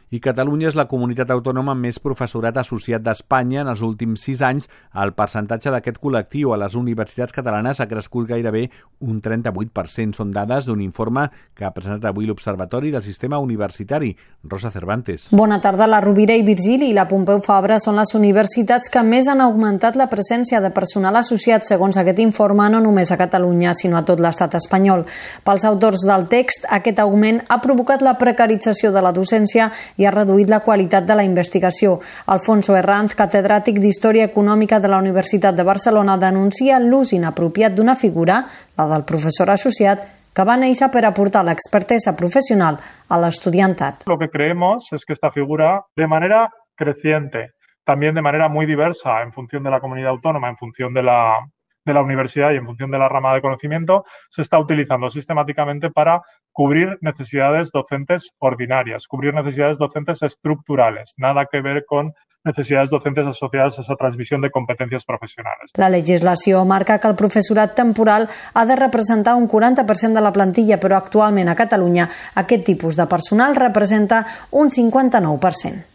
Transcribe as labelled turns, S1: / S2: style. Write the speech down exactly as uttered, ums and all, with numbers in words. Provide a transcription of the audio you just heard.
S1: i Catalunya és la comunitat autònoma amb més professorat associat d'Espanya. En els últims sis anys, el percentatge d'aquest col·lectiu a les universitats catalanes ha crescut gairebé un trenta-vuit per cent. Són dades d'un informe que ha presentat avui l'Observatori del Sistema Universitari. Rosa Cervantes.
S2: Bona tarda. La Rovira i Virgili i la Pompeu Fabra són les universitats que més han augmentat la presència de personal associat, segons aquest informe, no només a Catalunya, sinó a tot l'estat espanyol. Pels autors del text, aquest augment ha provocat la precarització de la docència i ha reduït la qualitat de la investigació. Alfonso Herranz, catedràtic d'Història Econòmica de la Universitat de Barcelona, denuncia l'ús inapropiat d'una figura, la del professor associat, que va néixer per aportar la expertesa profesional a l'estudiantat.
S3: Lo que creemos es que esta figura, de manera creciente, también de manera muy diversa en función de la comunidad autónoma, en función de la de la universidad y en función de la rama de conocimiento, se está utilizando sistemáticamente para cubrir necesidades docentes ordinarias, cubrir necesidades docentes estructurales, nada que ver con necesidades docentes asociadas a esa transmisión de competencias profesionales.
S2: La legislació marca que el professorat temporal ha de representar un quaranta per cent de la plantilla, però actualment a Catalunya aquest tipus de personal representa un cinquanta-nou per cent.